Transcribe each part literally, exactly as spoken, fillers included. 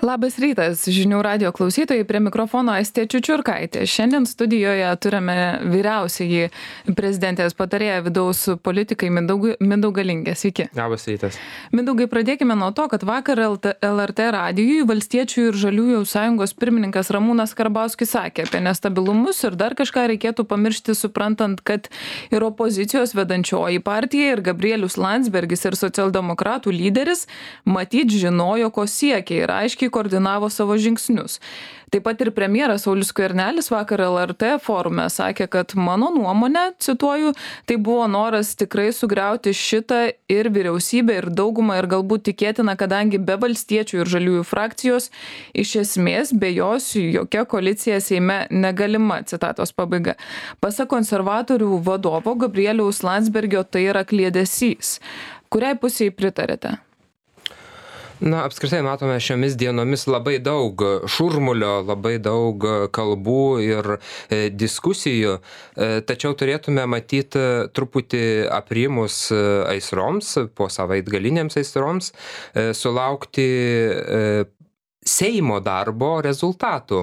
Labas rytas, žinių radio klausytojai, prie mikrofono Aistė Čiučiurkaitė. Šiandien studijoje turime vyriausiąjį prezidentės patarėją vidaus politikai Mindaugą Mindaugą Lingę. Sveiki. Labas rytas. Mindaugai, pradėkime nuo to, kad vakar L R T radijui Valstiečių ir Žaliųjų sąjungos pirmininkas Ramūnas Karbauskis sakė apie nestabilumus ir dar kažką reikėtų pamiršti, suprantant, kad ir opozicijos vedančioji partija ir Gabrielius Landsbergis ir socialdemokratų lyderis matyt žinojo, ko siekia ir aiškiai koordinavo savo žingsnius. Taip pat ir premjeras Saulius Skvernelis vakar L R T forume sakė, kad mano nuomonė, cituoju, tai buvo noras tikrai sugriauti šitą ir vyriausybę ir daugumą ir galbūt tikėtina, kadangi be Valstiečių ir Žaliųjų frakcijos iš esmės be jos jokia koalicija Seime negalima, citatos pabaiga. Pasak konservatorių vadovo Gabrieliaus Landsbergio tai yra kliedesys. Kuriai pusei pritarėte? Na, apskritai matome šiomis dienomis labai daug šurmulio, labai daug kalbų ir e, diskusijų, e, tačiau turėtume matyti truputį aprimus aisroms, po savaitgalinėms aisroms, e, sulaukti e, Seimo darbo rezultatų.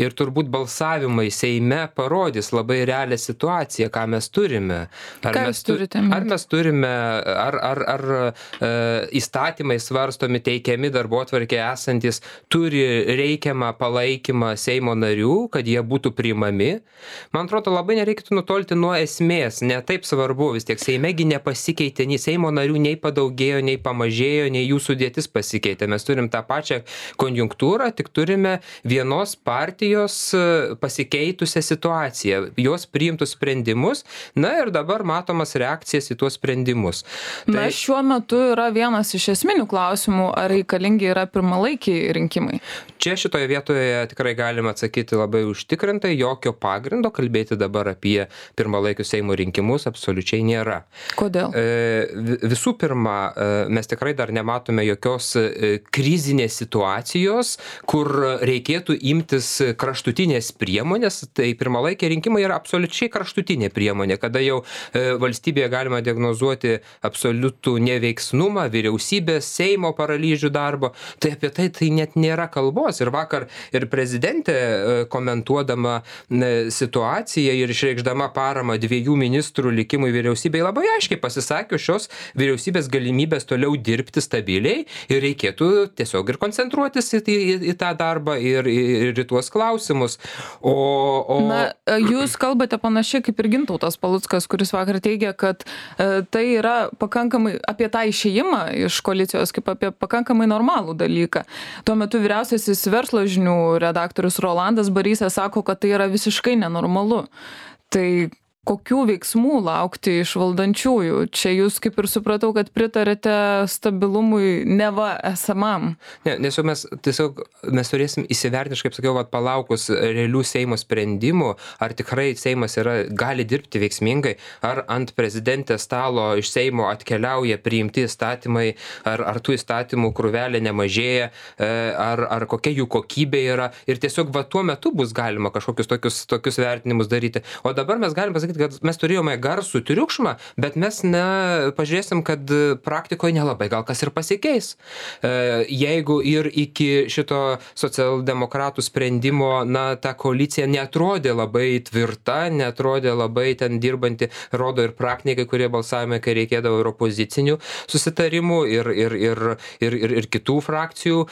Ir turbūt balsavimai Seime parodys labai realią situaciją, ką mes turime. Ar ką mes turite? Ar mes turime, ar, ar, ar e, įstatymai svarstomi, teikiami darbotvarkėje esantis, turi reikiamą palaikymą Seimo narių, kad jie būtų priimami. Man atrodo, labai nereikėtų nutolti nuo esmės, ne taip svarbu, vis tiek Seimegi nepasikeitė, nei Seimo narių nei padaugėjo, nei pamažėjo, nei jų sudėtis pasikeitė. Mes turim tą pačią konjunktūrą, tik turime vienos partijos pasikeitusią situaciją, jos priimtus sprendimus, na ir dabar matomas reakcijas į tuos sprendimus. Tai... Na, šiuo metu yra vienas iš esminių klausimų, ar reikalingi yra pirmalaikiai rinkimai. Čia šitoje vietoje tikrai galima atsakyti labai užtikrintai, jokio pagrindo kalbėti dabar apie pirmalaikius Seimo rinkimus absoliučiai nėra. Kodėl? E, visų pirma, mes tikrai dar nematome jokios krizinės situacijos, kur reikėtų imtis kraštutinės priemonės. Tai pirmalaikiai rinkimai yra absoliučiai kraštutinė priemonė, kada jau valstybėje galima diagnozuoti absoliutų neveiksnumą, vyriausybės, Seimo paralyžių darbo. Tai apie tai tai net nėra kalbos. Ir vakar ir prezidentė komentuodama situaciją ir išreikšdama paramą dviejų ministrų likimui vyriausybėje labai aiškiai pasisakė šios vyriausybės galimybės toliau dirbti stabiliai ir reikėtų tiesiog ir koncentruotis į, į, į tą darbą ir, ir į tuos klausimus. O, o... Na, jūs kalbate panašiai kaip ir Gintautas Paluckas, kuris vakar teigia, kad e, tai yra pakankamai apie tą išėjimą iš koalicijos kaip apie pakankamai normalų dalyką. Tuo metu vyriausiasis verslo žinių redaktorius Rolandas Barysas sako, kad tai yra visiškai nenormalu. Tai kokių veiksmų laukti iš valdančiųjų? Čia jūs kaip ir supratau, kad pritarėte stabilumui neva esamam. Ne, nes jau mes tiesiog mes turėsim įsivertinti, kaip sakiau, vat, palaukus realių Seimo sprendimų, ar tikrai Seimas yra, gali dirbti veiksmingai, ar ant prezidentės stalo iš Seimo atkeliauja priimti įstatymai, ar, ar tų įstatymų krūvelė nemažėja, ar, ar kokia jų kokybė yra. Ir tiesiog va tuo metu bus galima kažkokius tokius, tokius vertinimus daryti. O dabar mes galime pasakyti, kad mes turėjome garsų triukšmą, bet mes ne, pažiūrėsim, kad praktikoje nelabai gal kas ir pasikeis. Jeigu ir iki šito socialdemokratų sprendimo, na, ta koalicija netrodė labai tvirta, netrodė labai ten dirbanti, rodo ir praktikai, kurie balsavime, kai reikėdavo ir opozicinių susitarimų ir, ir, ir, ir, ir, ir kitų frakcijų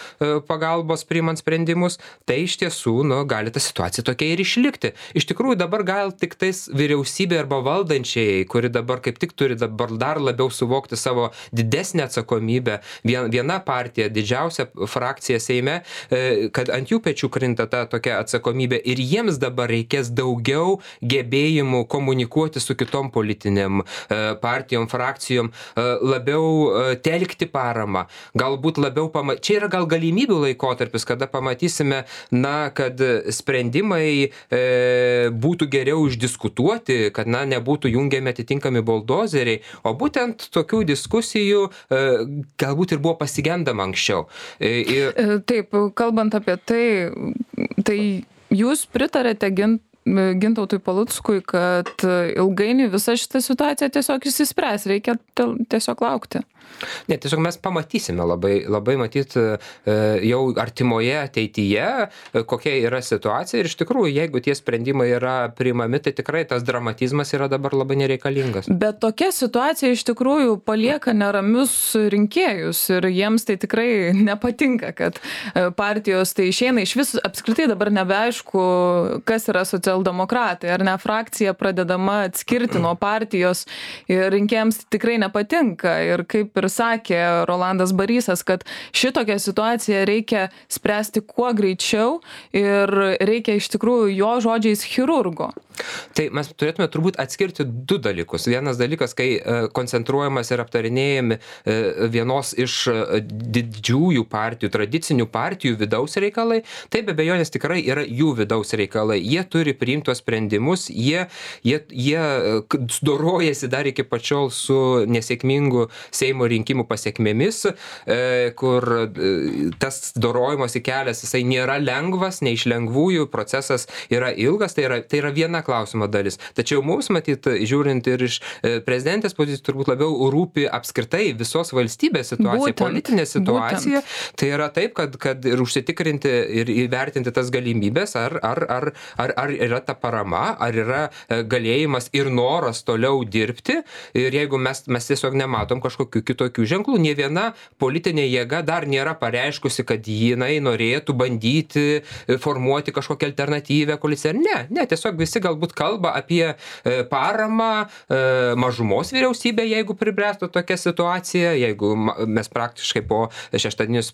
pagalbos priimant sprendimus, tai iš tiesų, nu, gali ta situacija tokia ir išlikti. Iš tikrųjų, dabar gal tik tais vyriausybė arba valdančiai, kuri dabar kaip tik turi dabar dar labiau suvokti savo didesnę atsakomybę, viena partija, didžiausia frakcija Seime, kad ant jų pečių krinta ta tokia atsakomybė ir jiems dabar reikės daugiau gebėjimų komunikuoti su kitom politiniam partijom, frakcijom, labiau telkti paramą, galbūt labiau pama... Čia yra gal galimybių laikotarpis, kada pamatysime, na, kad sprendimai e, būtų geriau išdiskutuoti, kad, na, nebūtų jungiami atitinkami buldozeriai, o būtent tokių diskusijų e, galbūt ir buvo pasigendama anksčiau. E, ir... Taip, kalbant apie tai, tai jūs pritarėte gint Gintautui Paluckui, kad ilgainiui visa šita situacija tiesiog išsispręs, reikia tiesiog laukti. Ne, tiesiog mes pamatysime labai, labai matyt jau artimoje ateityje, kokia yra situacija ir iš tikrųjų, jeigu tie sprendimai yra priimami, tai tikrai tas dramatizmas yra dabar labai nereikalingas. Bet tokia situacija iš tikrųjų palieka neramius rinkėjus ir jiems tai tikrai nepatinka, kad partijos tai išeina iš vis apskritai dabar nebeaišku, kas yra socialdemokratai, ar ne frakcija pradedama atskirti nuo partijos ir rinkėjams tikrai nepatinka. Ir kaip ir sakė Rolandas Barysas, kad šitokią situaciją reikia spręsti kuo greičiau ir reikia iš tikrųjų jo žodžiais chirurgo. Tai mes turėtume turbūt atskirti du dalykus. Vienas dalykas, kai koncentruojamas ir aptarinėjami vienos iš didžiųjų partijų, tradicinių partijų vidaus reikalai, tai be abejonės tikrai yra jų vidaus reikalai. Jie turi priimti tuos sprendimus, jie, jie, jie dorojasi dar iki pačiol su nesėkmingu Seimo rinkimų pasiekmėmis, kur tas dorojimosi kelias, jisai nėra lengvas, ne iš lengvųjų, procesas yra ilgas, tai yra, tai yra viena klausimo dalis. Tačiau mums, matyt, žiūrint ir iš prezidentės pozicijų, turbūt labiau rūpi apskritai visos valstybės situacija, būtent, politinė situacija. Būtent. Tai yra taip, kad, kad ir užsitikrinti ir įvertinti tas galimybės, ar, ar, ar, ar, ar yra ta parama, ar yra galėjimas ir noras toliau dirbti. Ir jeigu mes, mes tiesiog nematom kažkokių kitokių ženklų, nė viena politinė jėga dar nėra pareiškusi, kad jinai norėtų bandyti formuoti kažkokią alternatyvę koaliciją. Ne, ne, tiesiog visi galbūt kalba apie paramą mažumos vyriausybę, jeigu pribręstų tokia situacija, jeigu mes praktiškai po šeštadienės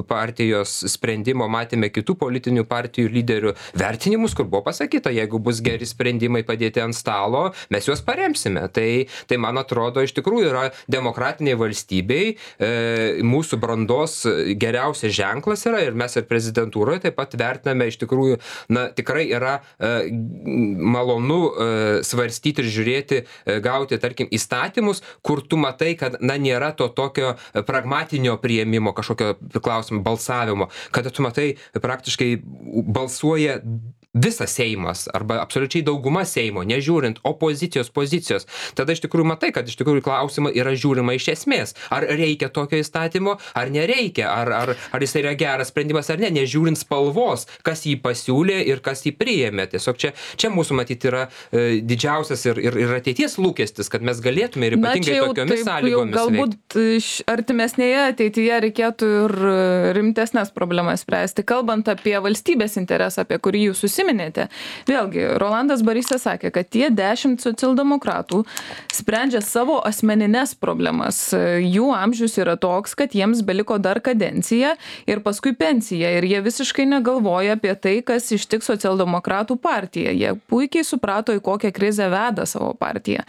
partijos sprendimo matėme kitų politinių partijų lyderių vertinimus, kur buvo pasakyta, jeigu bus geri sprendimai padėti ant stalo, mes juos paremsime. Tai, tai man atrodo, iš tikrųjų yra demokratiniai valstybei, e, mūsų brandos geriausias ženklas yra ir mes ir prezidentūroje taip pat vertiname iš tikrųjų, na, tikrai yra e, malonu e, svarstyti ir žiūrėti, e, gauti, tarkim, įstatymus, kur tu matai, kad, na, nėra to tokio pragmatinio priėmimo, kažkokio klausimo, balsavimo, kada tu matai praktiškai balsuoja visas Seimas arba absoliučiai dauguma Seimo, nežiūrint opozicijos pozicijos, tada iš tikrųjų matai, kad iš tikrųjų klausimą yra žiūrima iš esmės. Ar reikia tokio įstatymo, ar nereikia, ar, ar, ar jis yra geras sprendimas ar ne, nežiūrint spalvos, kas jį pasiūlė ir kas jį priėmė. Tiesiog čia, čia mūsų matyti yra e, didžiausias ir, ir, ir ateities lūkestis, kad mes galėtume ir ypatingai tokiomis sąlygomis galbūt veikti. Artimesnėje ateityje reikėtų ir rimtesnės problemas spręsti. Kalbant apie valstybės interesą, apie kurį jūs susiminėte, vėlgi, Rolandas Barysas sakė, kad tie dešimt socialdemokratų sprendžia savo asmeninės problemas. Jų amžius yra toks, kad jiems beliko dar kadencija ir paskui pensija. Ir jie visiškai negalvoja apie tai, kas ištiks socialdemokratų partiją. Jie puikiai suprato, į kokią krizę veda savo partiją.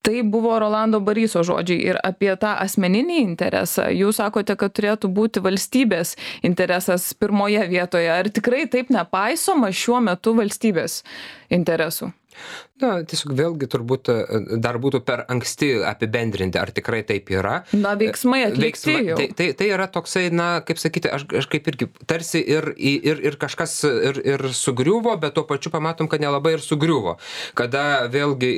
Tai buvo Rolando Baryso žodžiai ir apie tą asmeninį interesą. Jūs sakote, kad turėtų būti valstybės interesas pirmoje vietoje. Ar tikrai taip nepaisoma šiuo metu valstybės interesų? Na, tiesiog vėlgi turbūt dar būtų per anksti apibendrinti, ar tikrai taip yra. Na, veiksmai atlikti Veiksma, jau. tai, tai, tai yra toksai, na, kaip sakyti, aš, aš kaip irgi tarsi ir, ir, ir kažkas ir, ir sugriuvo, bet tuo pačiu pamatom, kad nelabai ir sugriuvo. Kada vėlgi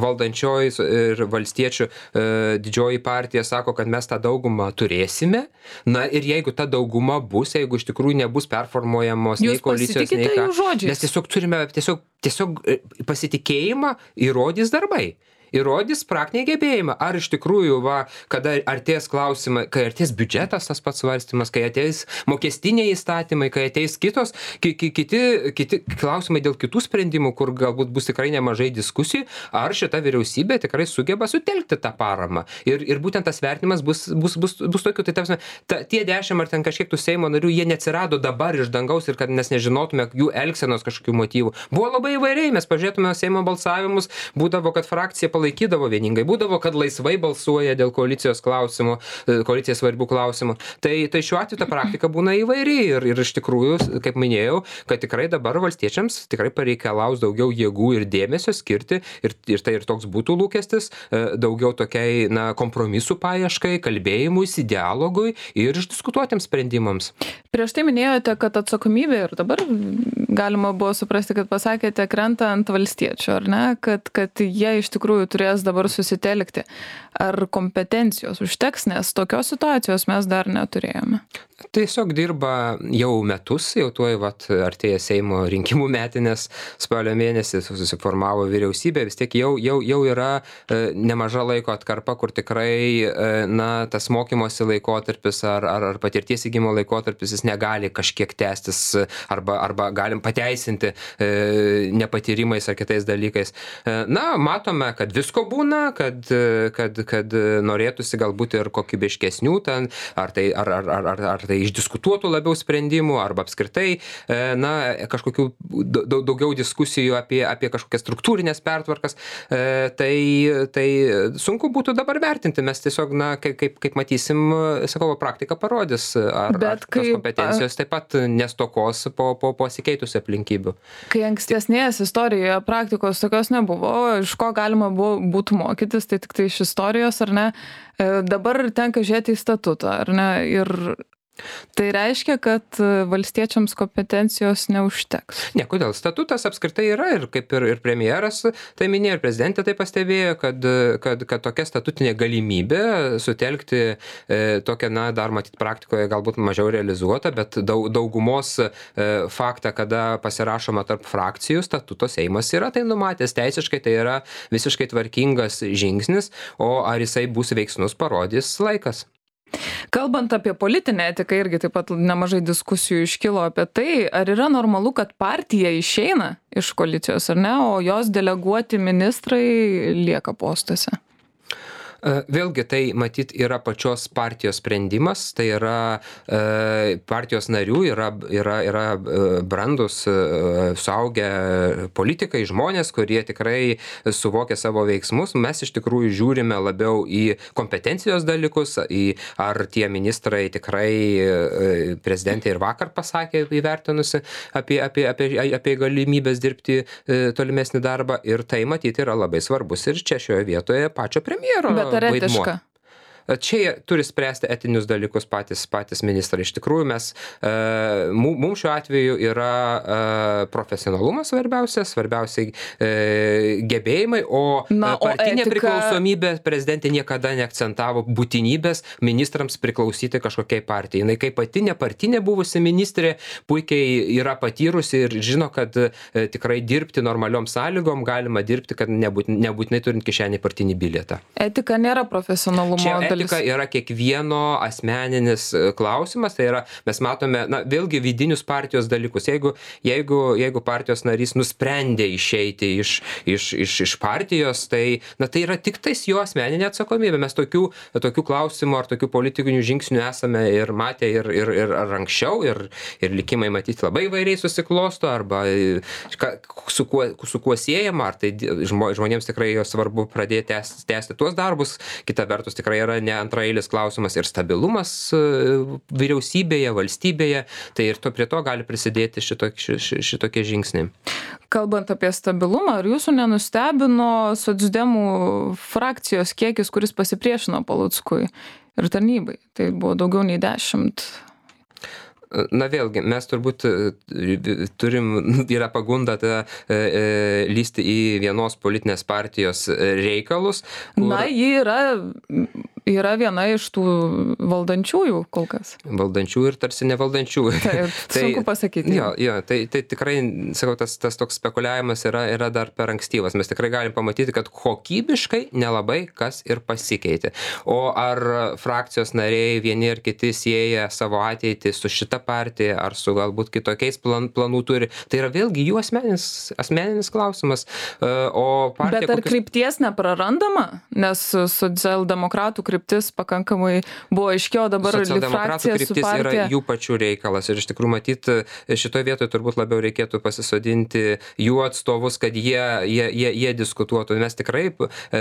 valdančioji ir valstiečių e, didžioji partija sako, kad mes tą daugumą turėsime, na ir jeigu ta dauguma bus, jeigu iš tikrųjų nebus performuojamos nei koalicijos, nei ką, mes tiesiog turime tiesiog, tiesiog pasitikėjimą įrodys darbai. Įrodys praktiniai gebėjimai. Ar iš tikrųjų, va, kada artės klausimai, kai artės biudžetas tas pats svarstymas, kai ateis mokestiniai įstatymai, kai ateis kitos, ki, ki, kiti, kiti klausimai dėl kitų sprendimų, kur galbūt bus tikrai nemažai diskusijų, ar šita vyriausybė tikrai sugeba sutelkti tą paramą. Ir, ir būtent tas vertinimas bus, bus, bus, bus tokiu. Tai tarpsime, ta, tie dešimt ar ten kažkiek tų Seimo narių, jie neatsirado dabar iš dangaus ir kad mes nežinotume jų elgsenos kažkokių motyvų. Buvo labai įvairiai, mes pažiūrėtume Seimo balsavimus, būdavo, kad frakcija palaikydavo vieningai, būdavo, kad laisvai balsuoja dėl koalicijos klausimų, koalicijos svarbių klausimų. Tai, tai šiuo atveju ta praktika būna įvairi ir, ir iš tikrųjų, kaip minėjau, kad tikrai dabar valstiečiams tikrai pareikalaus daugiau jėgų ir dėmesio skirti ir, ir tai ir toks būtų lūkestis, daugiau tokiai, na, kompromisų paieškai, kalbėjimuisi, dialogui ir išdiskutuotiems sprendimams. Prieš tai minėjote, kad atsakomybė ir dabar galima buvo suprasti, kad pasakėte, krenta ant valstiečių, ar ne, kad, kad jie iš tikrųjų turės dabar susitelkti. Ar kompetencijos užteks, nes tokios situacijos mes dar neturėjome? Tiesiog dirba jau metus, jau tuoj vat, artėja Seimo rinkimų metinės, spalio mėnesį susiformavo vyriausybė, vis tiek jau, jau, jau yra e, nemaža laiko atkarpa, kur tikrai e, na, tas mokymosi laikotarpis ar, ar, ar patirties įgymo laikotarpis jis negali kažkiek tęstis arba, arba galim pateisinti e, nepatyrimais ar kitais dalykais. E, na, matome, kad visko būna, kad, kad, kad norėtųsi galbūt ir kokybiškesnių ten, ar tai, ar, ar, ar, ar, ar tai išdiskutuotų labiau sprendimų, arba apskritai, na, kažkokių daugiau diskusijų apie, apie kažkokias struktūrinės pertvarkas, tai, tai sunku būtų dabar vertinti, mes tiesiog, na, kaip, kaip, kaip matysim, sakau, praktika parodys, ar, ar tos kompetencijos taip pat nestokos po, po pasikeitusių aplinkybių. Kai ankstesnės istorijoje praktikos tokios nebuvo, iš ko galima buvo, būtų mokytis, tai tik tai iš istorijos, ar ne, dabar tenka žiūrėti į statutą, ar ne, ir tai reiškia, kad valstiečiams kompetencijos neužteks. Ne, kodėl? Statutas apskritai yra ir kaip ir, ir premjeras tai minėjo, ir prezidentė tai pastebėjo, kad, kad, kad tokia statutinė galimybė sutelkti e, tokią, na, dar matyt praktikoje galbūt mažiau realizuota, bet daug, daugumos e, faktą, kada pasirašoma tarp frakcijų, statuto Seimas yra tai numatęs teisiškai, tai yra visiškai tvarkingas žingsnis, o ar jisai bus veiksnus, parodys laikas. Kalbant apie politinę etiką, irgi taip pat nemažai diskusijų iškilo apie tai, ar yra normalu, kad partija išeina iš koalicijos, ar ne, o jos deleguoti ministrai lieka postuose. Vėlgi tai matyt yra pačios partijos sprendimas, tai yra e, partijos narių, yra, yra, yra brandus, e, suaugę politikai, žmonės, kurie tikrai suvokia savo veiksmus. Mes iš tikrųjų žiūrime labiau į kompetencijos dalykus, į ar tie ministrai tikrai e, prezidentė ir vakar pasakė įvertinusi apie, apie, apie, apie galimybės dirbti e, tolimesnį darbą, ir tai matyt yra labai svarbus ir čia šioje vietoje pačio premjero. Bet ar etiška? Čia turi spręsti etinius dalykus patys, patys ministrai. Iš tikrųjų, mes, e, mums šiuo atveju yra e, profesionalumas svarbiausia, svarbiausiai e, gebėjimai, o Na, partinė o etika... priklausomybė prezidentė niekada neakcentavo būtinybės ministrams priklausyti kažkokiai partijai. Jis kaip pati nepartinė buvusi ministrė puikiai yra patyrusi ir žino, kad e, tikrai dirbti normaliom sąlygom galima dirbti, kad nebūt, nebūtinai turint kišenį partinį bilietą. Etika nėra profesionalumo. Čia etika yra kiekvieno asmeninis klausimas, tai yra, mes matome, na, vėlgi vidinius partijos dalykus. Jeigu, jeigu, jeigu partijos narys nusprendė išeiti iš, iš, iš, iš partijos, tai, na, tai yra tik tais jo asmeninė atsakomybė. Mes tokių, tokių klausimų ar tokių politikinių žingsnių esame ir matę ir, ir, ir ar anksčiau, ir, ir likimai matyti labai įvairiai susiklosto, arba su kuo, su kuo siejama, ar tai žmonėms tikrai svarbu pradėti tęsti, tęsti tuos darbus. Kita vertus tikrai yra ne antraeilis klausimas ir stabilumas vyriausybėje, valstybėje, tai ir to prie to gali prisidėti šitokie, šitokie žingsniai. Kalbant apie stabilumą, ar jūsų nenustebino socdemų frakcijos kiekis, kuris pasipriešino Paluckui ir tarnybai? Tai buvo daugiau nei dešimt. Na vėlgi, mes turbūt turim, yra pagunda ta, e, lysti į vienos politinės partijos reikalus. Kur... Na, ji yra, yra viena iš tų valdančiųjų kol kas. Valdančiųjų ir tarsi nevaldančiųjų. Taip, tai, sunku pasakyti. Jo, jo, tai, tai tikrai, sakau, tas, tas toks spekuliavimas yra, yra dar per ankstyvas. Mes tikrai galim pamatyti, kad kokybiškai nelabai kas ir pasikeitė. O ar frakcijos nariai vieni ir kiti sieja savo ateitį su šita partija, ar su galbūt kitokiais plan, planų turi. Tai yra vėlgi jų asmeninis, asmeninis klausimas. O partija, Bet ar kokius... krypties neprarandama? Nes socialdemokratų kryptis pakankamai buvo aiškiau, dabar frakcija su partija. Yra jų pačių reikalas. Ir iš tikrųjų matyti, šitoje vietoje turbūt labiau reikėtų pasisodinti jų atstovus, kad jie, jie, jie, jie diskutuotų. Mes tikrai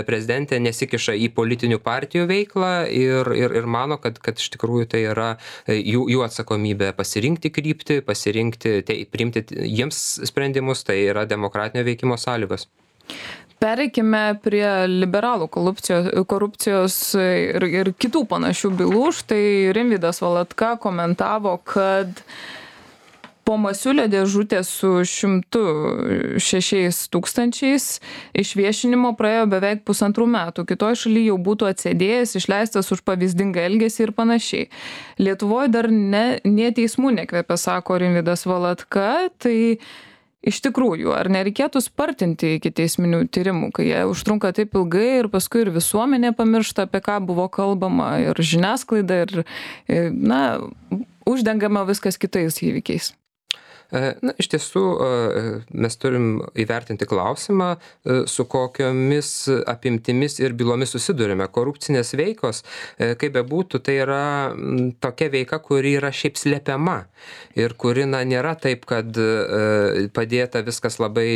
prezidentė nesikiša į politinių partijų veiklą ir, ir, ir mano, kad, kad iš tikrųjų tai yra jų, jų atsakomybė pasirinkti kryptį, pasirinkti, tai, priimti jiems sprendimus, tai yra demokratinio veikimo sąlygos. Pereikime prie liberalų korupcijos, korupcijos ir, ir kitų panašių bylų. Štai Rimvydas Valatka komentavo, kad po Masiulio dėžutės su šimtu šešiais tūkstančiais išviešinimo praėjo beveik pusantrų metų. Kitoj šaly jau būtų atsėdėjęs, išleistas už pavyzdingą elgesį ir panašiai. Lietuvoje dar ne, ne teismų nekvepia, sako Rimvydas Valatka. Tai iš tikrųjų, ar nereikėtų spartinti iki teisminių tyrimų, kai jie užtrunka taip ilgai ir paskui ir visuomenė pamiršta, apie ką buvo kalbama, ir žiniasklaida, ir, na, uždengama viskas kitais įvykiais? Na, iš tiesų, mes turim įvertinti klausimą, su kokiomis apimtimis ir bylomis susidurime. Korupcinės veikos, kaip bebūtų, tai yra tokia veika, kuri yra šiaip slepiama ir kuri, na, nėra taip, kad padėta viskas labai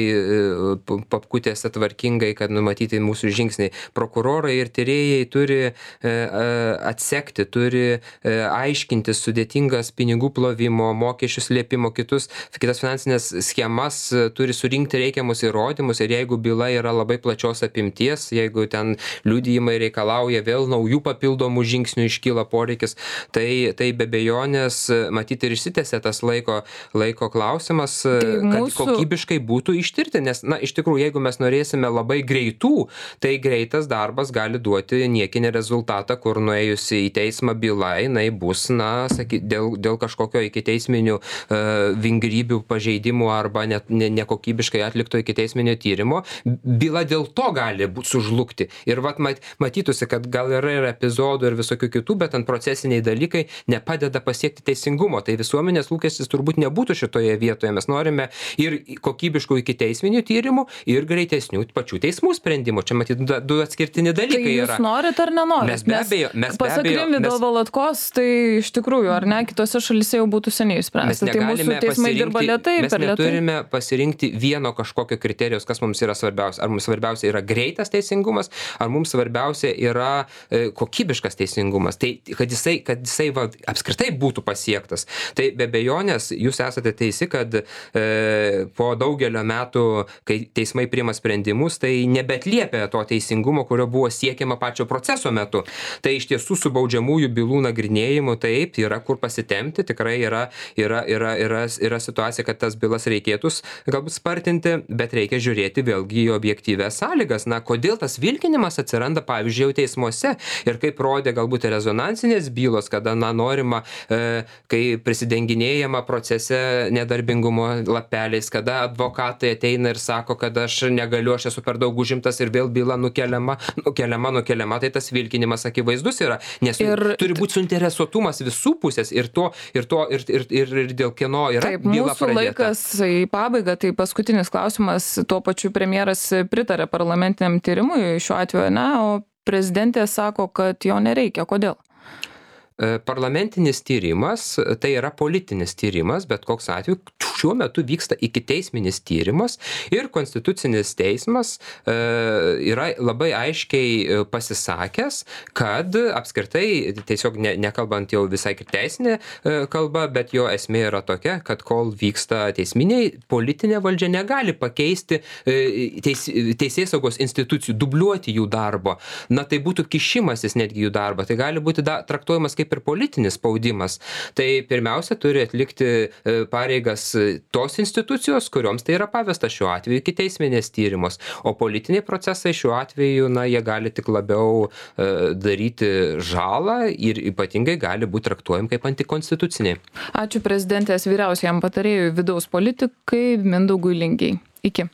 papkutėse tvarkingai, kad numatyti mūsų žingsniai. Prokurorai ir tyrėjai turi atsekti, turi aiškinti sudėtingas pinigų plovimo, mokesčių slėpimo, kitus kitas finansinės schemas, turi surinkti reikiamus įrodymus ir jeigu byla yra labai plačios apimties, jeigu ten liudijimai reikalauja vėl naujų papildomų žingsnių, iškyla poreikis, tai, tai be abejonės matyti ir išsitęsia tas laiko, laiko klausimas, tai kad mūsų... kokybiškai būtų ištirti, nes, na, iš tikrųjų, jeigu mes norėsime labai greitų, tai greitas darbas gali duoti niekinį rezultatą, kur nuėjusi į teismą byla, jinai bus, na, saky, dėl, dėl kažkokio ikiteisminių uh, vingrybių pažeidimų arba net ne, nekokybiškai atlikto ikiteisminio tyrimo, byla dėl to gali sužlugti. Ir vat matytųsi, kad gal yra ir epizodų ir visokių kitų, bet ant procesiniai dalykai nepadeda pasiekti teisingumo. Tai visuomenės lūkestis turbūt nebūtų šitoje vietoje. Mes norime ir kokybiškų ikiteisminių tyrimų, ir greitesnių pačių teismų sprendimų. Čia matyti du atskirtini dalykai tai yra. Jūs norit ar nenorit? Mes be abejo, mes be pasak abejo. Rimvydo Mes... Valatkos, tai iš tikrųjų, ar ne, kitose šalyse jau būtų seniai spręsta. Tai mūsų teismai dirba lėtai, mes neturime pasirinkti vieno kažkokio kriterijos, kas mums yra svarbiausia. Ar mums svarbiausia yra greitas teisingumas, ar mums svarbiausia yra e, kokybiškas teisingumas. Tai kad jisai, kad jisai va, apskritai būtų pasiektas. Tai be abejonės jūs esate teisi, kad e, po daugelio metų, kai teismai priima sprendimus, tai nebetliepia to teisingumo, kurio buvo siekiama pačio proceso metu. Tai iš tiesų su baudžiamųjų bylų nagrinėjimu taip yra kur pasitemti, tikrai yra, yra, yra, yra, yra situacija, kad tas bylas reikėtų galbūt spartinti, bet reikia žiūrėti vėlgi į objektyvės sąlygas. Na, kodėl tas vilkinimas atsiranda, pavyzdžiui, jau teismuose ir kaip rodė galbūt rezonansinės bylos, kada, na, norima, e, kai prisidenginėjama procese nedarbingumo lapeliais, kada advokatai ateina ir sako, kad aš negaliu, aš esu per daug užimtas ir vėl byla nukeliama, nukeliama, nukeliama, tai tas vilkinimas akivaizdus yra, nes ir turi būti suinteresuotumas visų pusės ir to, ir to, ir, ir, ir, ir dėl kieno yra Taip, byla mūsų pradėta. Laikas į pabaigą, tai paskutinis klausimas, tuo pačiu premjeras pritarė parlamentiniam tyrimui šiuo atveju, ne, o prezidentė sako, kad jo nereikia. Kodėl? Parlamentinis tyrimas, tai yra politinis tyrimas, bet koks atveju šiuo metu vyksta ikiteisminis tyrimas ir konstitucinis teismas e, yra labai aiškiai pasisakęs, kad apskritai, tiesiog ne, nekalbant jau visai teisinė e, kalba, bet jo esmė yra tokia, kad kol vyksta teisminiai, politinė valdžia negali pakeisti e, teis, teisėsaugos institucijų, dubliuoti jų darbo. Na, tai būtų kišimasis netgi jų darbą, tai gali būti da, traktuojamas kaip ir politinis spaudimas. Tai pirmiausia turi atlikti pareigas tos institucijos, kurioms tai yra pavesta šiuo atveju ikiteisminės tyrimos. O politiniai procesai šiuo atveju, na, jie gali tik labiau e, daryti žalą ir ypatingai gali būti traktuojami kaip antikonstituciniai. Ačiū prezidentės vyriausiajam patarėjui vidaus politikai Mindaugui Lingei. Iki.